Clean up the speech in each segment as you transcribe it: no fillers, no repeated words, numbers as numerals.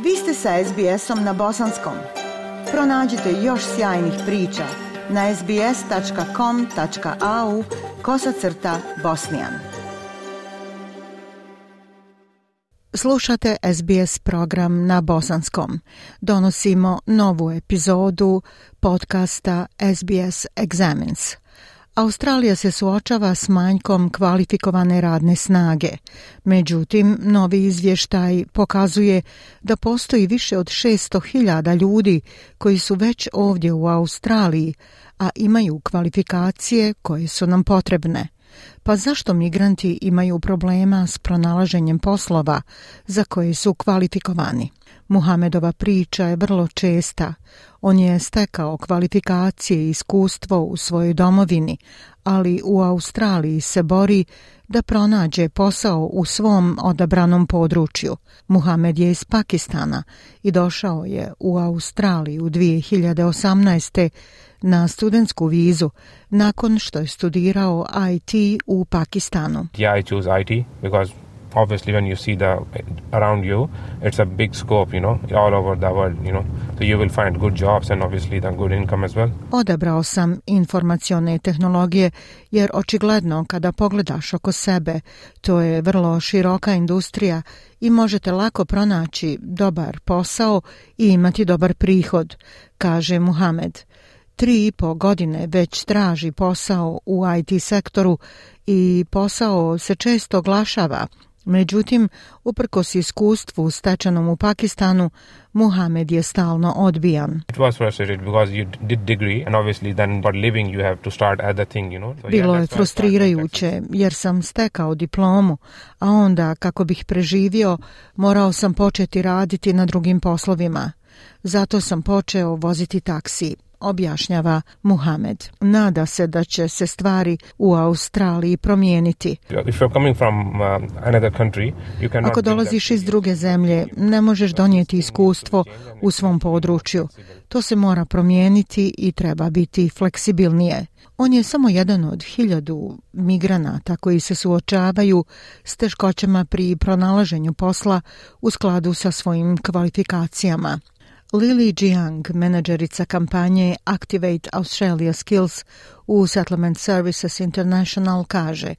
Vi ste sa SBS-om na bosanskom. Pronađite još sjajnih priča na sbs.com.au/bosnijan. Slušate SBS program na bosanskom. Donosimo novu epizodu podcasta SBS Examines. Australija se suočava s manjkom kvalifikovane radne snage. Međutim, novi izvještaj pokazuje da postoji više od 600.000 ljudi koji su već ovdje u Australiji, a imaju kvalifikacije koje su nam potrebne. Pa zašto migranti imaju problema s pronalaženjem poslova za koje su kvalifikovani? Muhamedova priča je vrlo česta. On je stekao kvalifikacije i iskustvo u svojoj domovini, ali u Australiji se bori da pronađe posao u svom odabranom području. Muhamed je iz Pakistana i došao je u Australiju 2018. na studentsku vizu nakon što je studirao IT u Pakistanu. Yeah, I choose IT because obviously when you see around you, it's a big scope, all over the world, so you will find good jobs and obviously the good income as well. Odabrao sam informacione tehnologije jer očigledno kada pogledaš oko sebe, to je vrlo široka industrija i možete lako pronaći dobar posao i imati dobar prihod, kaže Muhamed. 3,5 godine već traži posao u IT sektoru i posao se često oglašava. Međutim, uprkos iskustvu stečenom u Pakistanu, Muhamed je stalno odbijan. Bilo je frustrirajuće jer sam stekao diplomu, a onda kako bih preživio, morao sam početi raditi na drugim poslovima. Zato sam počeo voziti taksi, objašnjava Muhamed. Nada se da će se stvari u Australiji promijeniti. Ako dolaziš iz druge zemlje, ne možeš donijeti iskustvo u svom području. To se mora promijeniti i treba biti fleksibilnije. On je samo jedan od 1000 migranata koji se suočavaju s teškoćama pri pronalaženju posla u skladu sa svojim kvalifikacijama. Lily Jiang, menadžerica kampanje Activate Australia Skills u Settlement Services International, kaže: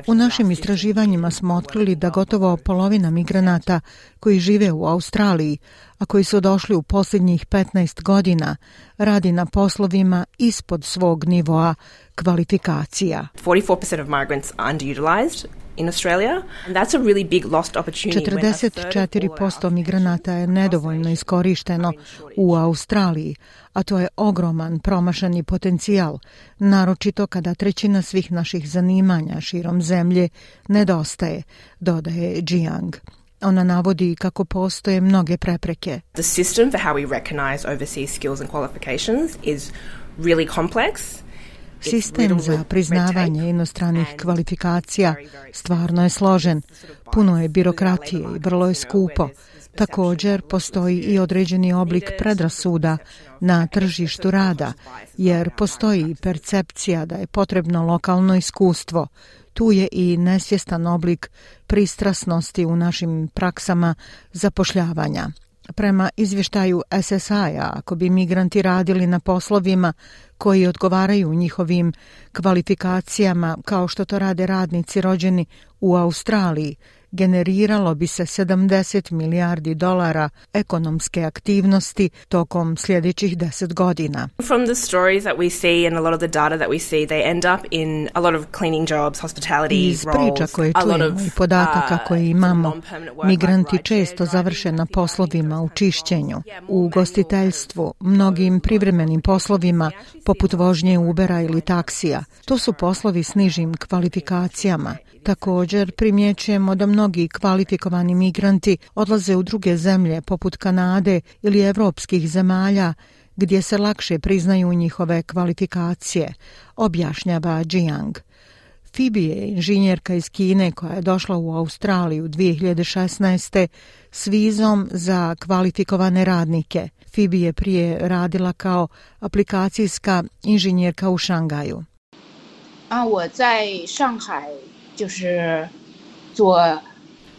U našim istraživanjima smo otkrili da gotovo polovina migranata koji žive u Australiji, a koji su došli u posljednjih 15 godina, radi na poslovima ispod svog nivoa kvalifikacija. 44% of migrants are underutilized in Australia, and that's a really big lost opportunity. 44% migranata je nedovoljno iskorišteno u Australiji, a to je ogroman promašani potencijal, naročito kada 1/3 svih naših zanimanja širom zemlje nedostaje, dodaje Jiang. Ona navodi kako postoje mnoge prepreke. The system for how we recognize overseas skills and qualifications is really complex. Sistem za priznavanje inostranih kvalifikacija stvarno je složen, puno je birokratije i vrlo je skupo. Također postoji i određeni oblik predrasuda na tržištu rada, jer postoji percepcija da je potrebno lokalno iskustvo. Tu je i nesvjestan oblik pristrasnosti u našim praksama zapošljavanja. Prema izvještaju SSI-a, ako bi migranti radili na poslovima koji odgovaraju njihovim kvalifikacijama, kao što to rade radnici rođeni u Australiji, generiralo bi se $70 milijardi ekonomske aktivnosti tokom sljedećih 10 godina. From the stories that we see and a lot of the data that we see, they end up in a lot of cleaning jobs, hospitality Iz priča koje čujemo i podataka koje imamo, migranti često završe na poslovima u čišćenju, u ugostiteljstvu, mnogim privremenim poslovima poput vožnje Ubera ili taksija. To su poslovi s nižim kvalifikacijama. Također primjećujemo da mnogi kvalifikovani migranti odlaze u druge zemlje poput Kanade ili evropskih zemalja gdje se lakše priznaju njihove kvalifikacije, objašnjava Jiang. Phoebe je inženjerka iz Kine koja je došla u Australiju 2016. s vizom za kvalifikovane radnike. Phoebe je prije radila kao aplikacijska inženjerka u Šangaju. 我在上海就是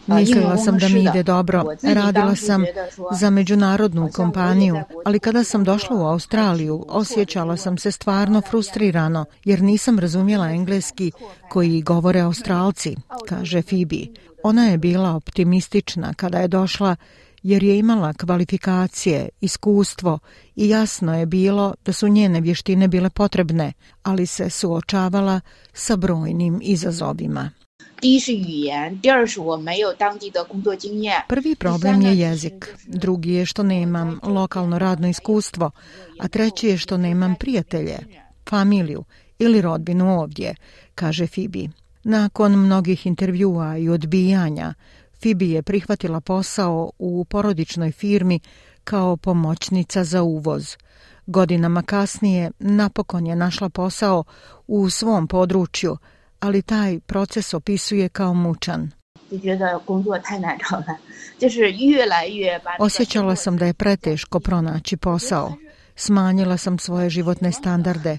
Mislila sam da mi ide dobro, radila sam za međunarodnu kompaniju, ali kada sam došla u Australiju, osjećala sam se stvarno frustrirano, jer nisam razumjela engleski koji govore Australci, kaže Phoebe. Ona je bila optimistična kada je došla, jer je imala kvalifikacije, iskustvo i jasno je bilo da su njene vještine bile potrebne, ali se suočavala sa brojnim izazovima. Prvi problem je jezik, drugi je što nemam lokalno radno iskustvo, a treći je što nemam prijatelje, familiju ili rodbinu ovdje, kaže Phoebe. Nakon mnogih intervjua i odbijanja, Phoebe je prihvatila posao u porodičnoj firmi kao pomoćnica za uvoz. Godinama kasnije napokon je našla posao u svom području, ali taj proces opisuje kao mučan. Osjećala sam da je preteško pronaći posao. Smanjila sam svoje životne standarde.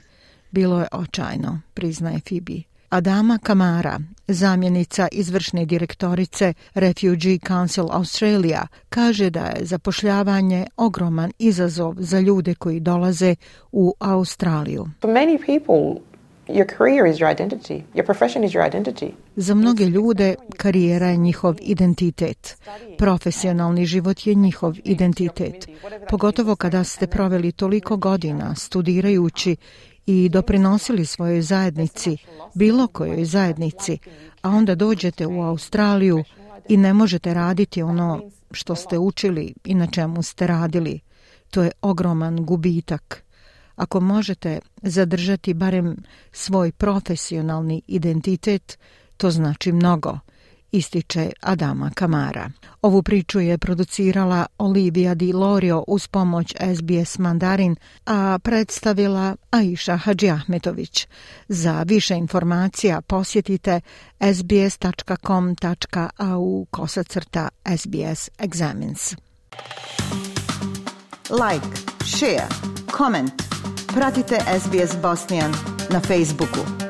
Bilo je očajno, priznaje Phoebe. Adama Kamara, zamjenica izvršne direktorice Refugee Council Australia, kaže da je zapošljavanje ogroman izazov za ljude koji dolaze u Australiju. For many people, your career is your identity. Your profession is your identity. Za mnoge ljude karijera je njihov identitet. Profesionalni život je njihov identitet. Pogotovo kada ste proveli toliko godina studirajući i doprinosili svojoj zajednici, bilo kojoj zajednici, a onda dođete u Australiju i ne možete raditi ono što ste učili i na čemu ste radili. To je ogroman gubitak. Ako možete zadržati barem svoj profesionalni identitet, to znači mnogo, ističe Adama Kamara. Ovu priču je producirala Olivia Di Lorio uz pomoć SBS Mandarin, a predstavila Aisha Hadžiahmetović. Za više informacija posjetite sbs.com.au/SBS Examines. Like, share, comment. Pratite SBS Bosnian na Facebooku.